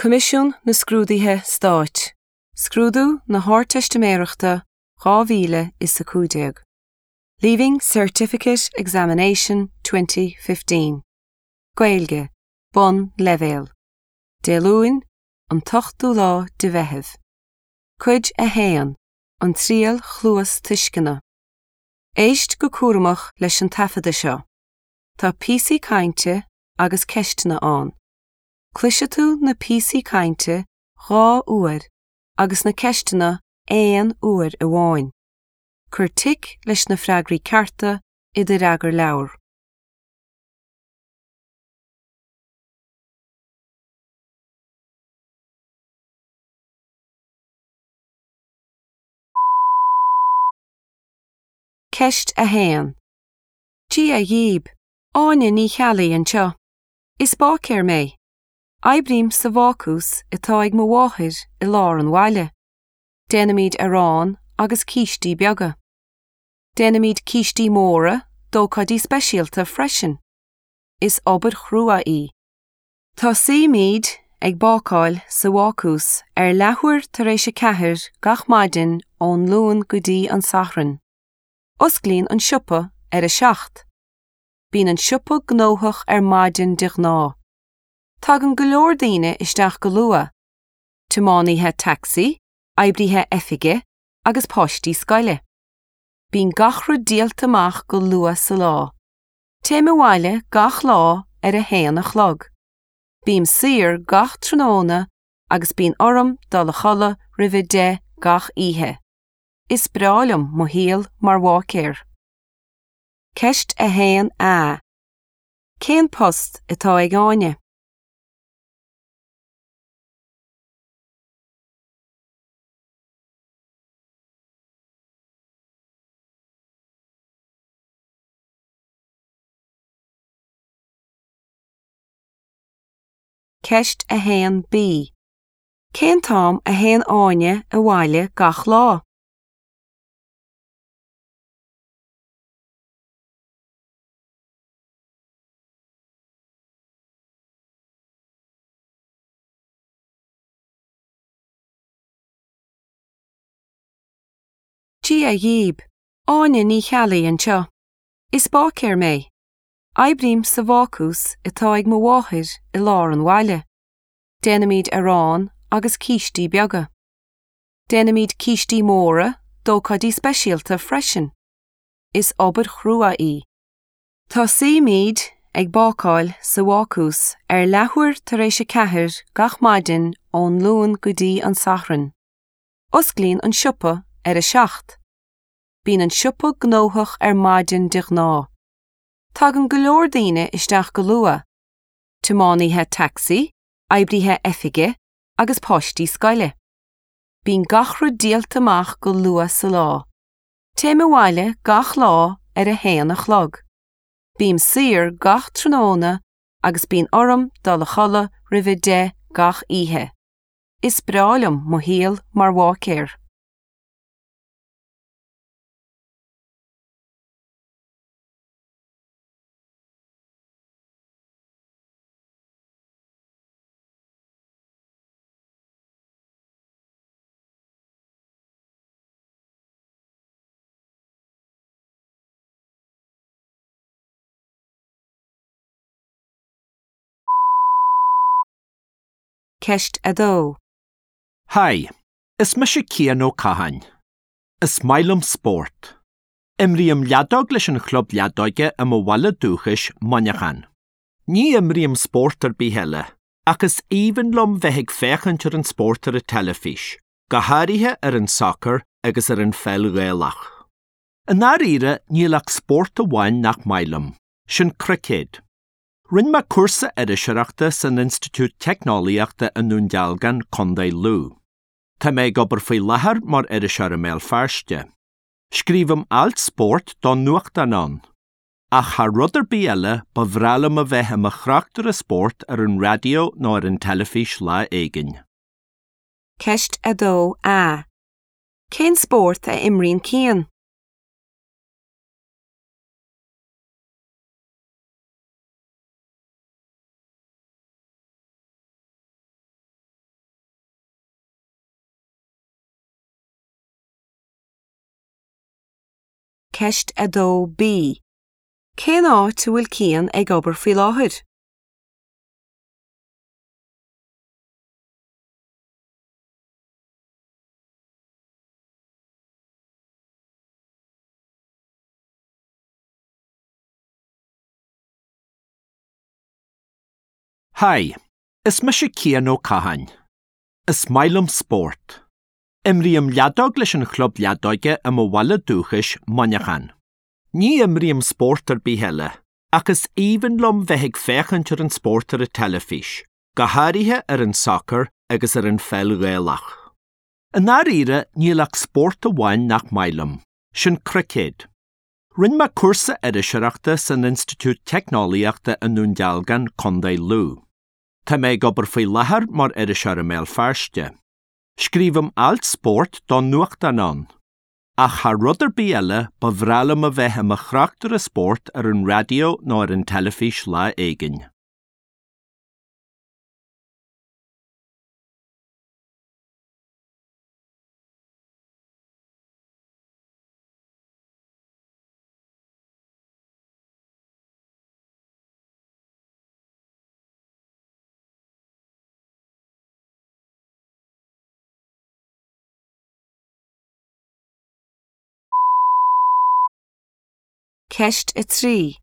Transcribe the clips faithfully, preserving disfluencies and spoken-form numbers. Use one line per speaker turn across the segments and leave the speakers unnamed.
Coimisiún na Scrúduithe Stáit, Scrúdú na hArdteistiméireachta dhá mhíle is a cúig déag. Leaving Certificate Examination twenty fifteen. Gaeilge, Bonnleibhéal. Dé Luain, an t-ochtú lá de Mheitheamh. Cuid a haon, An Triail Chluastuisceana. Éist go cúramach leis an taifeadadh seo. Tá píosaí cainte agus ceisteanna ann. Cloisfidh tú na píosaí cainte dhá uair agus na ceisteanna aon uair amháin. Cuir tic leis na freagraí cearta i do fhreagarleabhar. Ceist a haon. Dia dhaoibh, Áine Ní Cheallaigh anseo. Is báicéir mé. Oibrím sa bhácús atá ag mo mháthair i lár an bhaile. Déanaimid arán agus cístí beaga. Déanaimid cístí móra d'ócáidí speisialta freisin. Is obair chrua í. Tosaímid ag bácáil sa bhácús ar leathuair tar éis a ceathair gach maidin ón Luan go dtí an Satharn. Osclaíonn an siopa ar a seacht. Bíonn an siopa gnóthach ar maidin de ghnáth. Tagann go leor daoine isteach go luath, tiománaithe tacsaí, oibrithe oifige agus páistí scoile. Bíonn gach rud díolta amach go luath sa lá. Téim abhaile gach lá ar a haon a chlog. Bím saor gach tráthnóna agus bíonn orm dul a chodladh roimh a deich gach oíche. Is breá liom mo shaol mar bháicéir. Ceist a haon A. Cén post atá ag Áine? Ceist a haon B. Cén t-am a théann Áine abhaile gach lá? Dia dhaoibh, Áine Ní Cheallaigh anseo. Is báicéir mé. Oibrím sa bhácús atá ag mo mháthair i lár an bhaile. Déanaimid arán agus cístí beaga. Déanaimid cístí móra d'ócáidí speisialta freisin. Is obair chrua í. Tosaímid ag bácáil sa bhácús ar leathuair tar éis a ceathair gach maidin ón Luan go dtí an Satharn. Osclaíonn an siopa ar a seacht. Bíonn an siopa gnóthach ar maidin de ghnáth. Tagann go leor daoine isteach go luath, tiománaithe tacsaí, oibrithe oifige agus páistí scoile. Bíonn gach rud díolta amach go luath sa lá. Téim abhaile gach lá ar a haon a chlog. Bím saor gach tráthnóna agus bíonn orm dul a chodladh roimh a deich gach oíche. Is breá liom mo shaol mar bháicéir. Ceist a dó.
Haigh, is mise Cian Ó Catháin. Is maith liom spórt. Imrím leadóg leis an chlub leadóige i mo bhaile dúchais, Muineachán. Ní imrím spórt ar bith eile, ach is aoibhinn liom bheith ag féachaint ar an spórt ar an teilifís, go háirithe ar an sacar agus ar an pheil Ghaelach. I ndáiríre níl ach spórt amháin nach maith liom, sin cruicéad. Rinne mé cúrsa iriseoireachta san Institiúid Teicneolaíochta i nDún Dealgan, Contae Lú. Tá mé ag obair faoi láthair mar iriseoir i mBéal Feirste. Scríobhaim ailt spóirt don nuachtán ann. Ach thar rud ar bith eile, ba bhreá liom a bheith i mo thráchtaire spóirt ar an raidió nó ar an teilifís lá éigin.
Ceist a dó A. Cén spórt a imríonn Cian? Ceist a dó B. Cén áit a bhfuil Cian ag obair faoi láthair?
Haigh, is mise Cian Ó Catháin. Is maith liom spórt. Imrím leadóg leis an chlub leadóige i mo bhaile dúchais Muineachán. Ní imrím spórt ar bith eile, ach is aoibhinn liom bheith ag féachaint ar an spórt ar an teilifís, go háirithe ar an sacar agus ar an pheil Ghaelach. I ndáiríre níl ach spórt amháin nach maith liom, sin cruicéad. Rinne mé cúrsa iriseoireachta san Institiúid Teicneolaíochta i nDún Dealgan, Contae Lú. Tá mé ag obair faoi láthair mar iriseoir i mBéal Feirste. Scríobhaim ailt spóirt don nuachtán ann. Ach thar rud ar bith eile ba bhreá liom a bheith i mo thráchtaire spóirt ar an raidió nó ar an teilifís lá éigin.
Ceist a trí.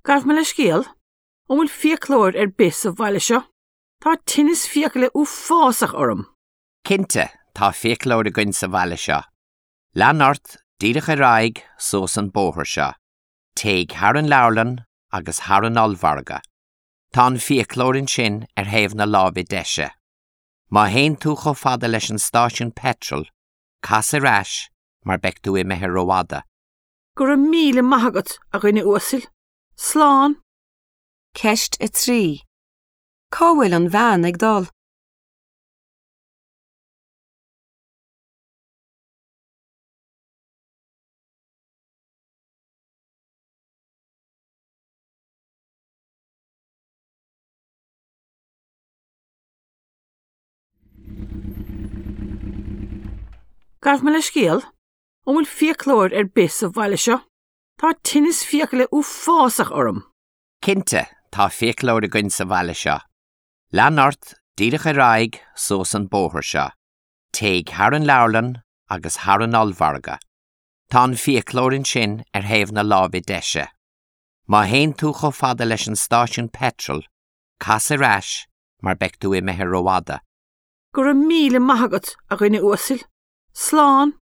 Gabh mo leithscéal, an bhfuil fiaclóir ar bith sa bhaile seo? Tá tinneas fiacaile uafásach orm.
Cinnte, tá fiaclóir againn sa bhaile seo. Lean ort díreach ar aghaidh suas an bóthar seo. Téigh thar an leabharlann agus thar an ollmhargadh. Tá an fiaclóir ansin ar thaobh na láimhe deise. Má théann tú chomh fada leis an stáisiún petrol, cas ar ais mar beidh tú imithe rófhada.
Go raibh míle maith agat a dhuine uasail. Slán.
Ceist a trí. Cá bhfuil an bhean ag dul?
Gabh mo leithscéal, an bhfuil fiaclóir ar bith sa bhaile seo? Tá tinneas fiacaile uafásach orm.
Cinnte, tá fiaclóir againn sa bhaile seo. Lean ort díreach ar aghaidh suas an bóthar seo. Téigh thar an leabharlann agus thar an ollmhargadh. Tá an fiaclóir ansin ar thaobh na láimhe deise. Má théann tú chomh fada leis an stáisiún petrol, cas ar ais mar beidh tú imithe rófhada.
Go raibh míle maith agat a dhuine uasail. Slán.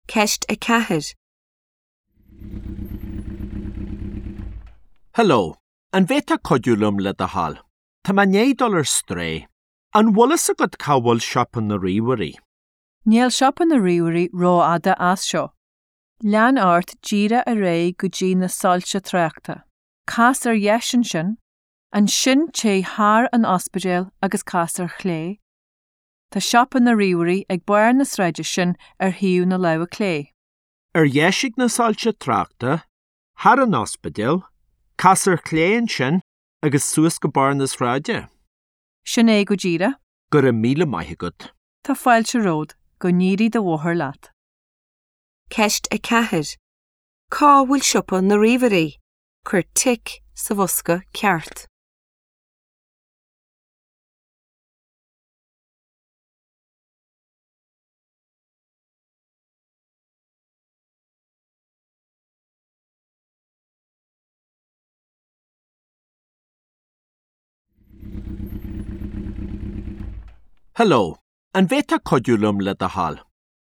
Ceist a ceathair.
Hello, an bhféadfá cuidiú liom le do thoil? Tá mé i ndiaidh dul ar strae. An bhfuil fhios agat cá bhfuil siopa na ríomhairí?
Níl siopa na ríomhairí rófhada as seo. Lean ort díreach ar aghaidh go dtí na soilse tráchta. Cas ar dheis ansin, ansin téigh thar an ospidéal agus cas ar chlé. Tá siopa na ríomhairí ag barr na sráide sin ar thaobh na láimhe clé.
Ar dheis ag na soilse tráchta, thar an ospidéal, cas ar chlé ansin agus suas go barr na sráide.
Sin é go díreach.
Go raibh míle maith agat.
Tá fáilte romhat go n-éirí do bhóthar leat.
Ceist a ceathair. Cá bhfuil siopa na ríomhairí? Cuir tic sa bhosca ceart.
Hello, an bhféadfá cuidiú liom le do thoil?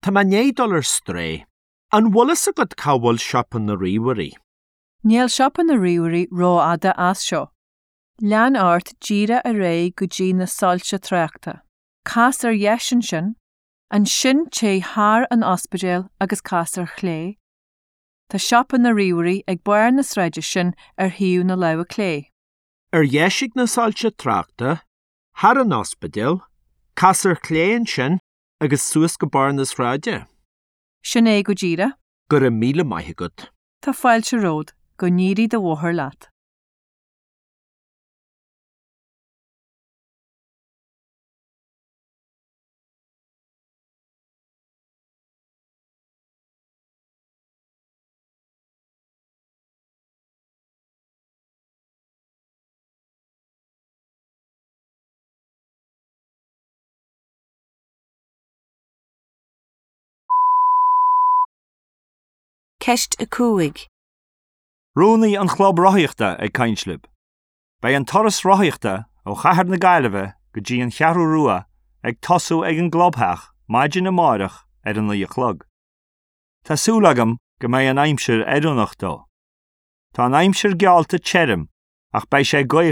Tá mé i ndiaidh dul ar strae. An bhfuil fhios agat cá bhfuil siopa na ríomhairí?
Níl siopa na ríomhairí rófhada as seo. Lean ort díreach ar aghaidh go dtí na soilse tráchta. Cas ar dheis ansin, ansin téigh thar an ospidéal agus cas ar chlé. Tá siopa na ríomhairí ag barr na sráide sin ar thaobh na láimhe clé.
Ar dheis ag na soilse tráchta, thar an ospidéal, cas ar chlé ansin agus suas go barr na sráide.
Sin é go díreach.
Go raibh míle maith agat.
Tá fáilte romhat, go n-éirí do bhóthar leat.
Ceist a cúig.
Rúnaí an Chlub Rothaíochta ag caint libh. Beidh an turas rothaíochta ó Chathair na Gaillimhe go dtí an Cheathrú Rua ag tosú ag an gclubtheach maidin amárach ar a naoi a chlog. Tá súil agam go mbeidh an aimsir oiriúnach dó. Tá an aimsir geallta tirim ach beidh sé gaofar